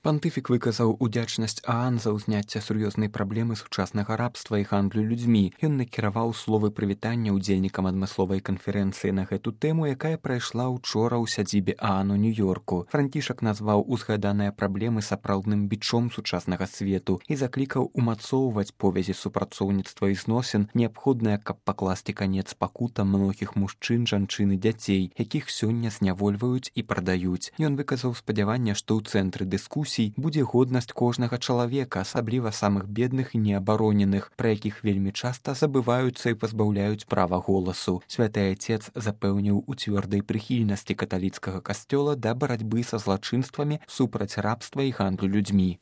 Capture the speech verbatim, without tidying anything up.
Пантыфік выказаў удзячнасць Аан за ўзняцце сур'ёзнай праблемы сучаснага рабства і гандлю людзьмі. Ён накіраваў словы прывітання ўдзельнікам адмысловай канферэнцыі на гэту тэму, якая прайшла ўчора ў сядзібе Аан у Нью-Йорку. Францішак назваў узгаданыя праблемы сапраўдным бічом сучаснага свету і заклікаў умацоўваць повязі супрацоўніцтва і зносін, неабходныя, каб пакласці канец пакутам многіх мужчын, жанчын і дзяцей, якіх сёння знявольваюць і прадаюць. Ён выказаў спадзяванне, што ў цэнтры дыскусіі будзе годнасць кожнага чалавека, асабліва самых бедных і неабароненых, пра якіх вельмі часта забываюцца і пазбаўляюць права голасу. Святы Айцец запэўніў у цвёрдай прыхільнасці каталіцкага касцёла да барацьбы са злачынствамі супраць рабства і гандлю людзьмі.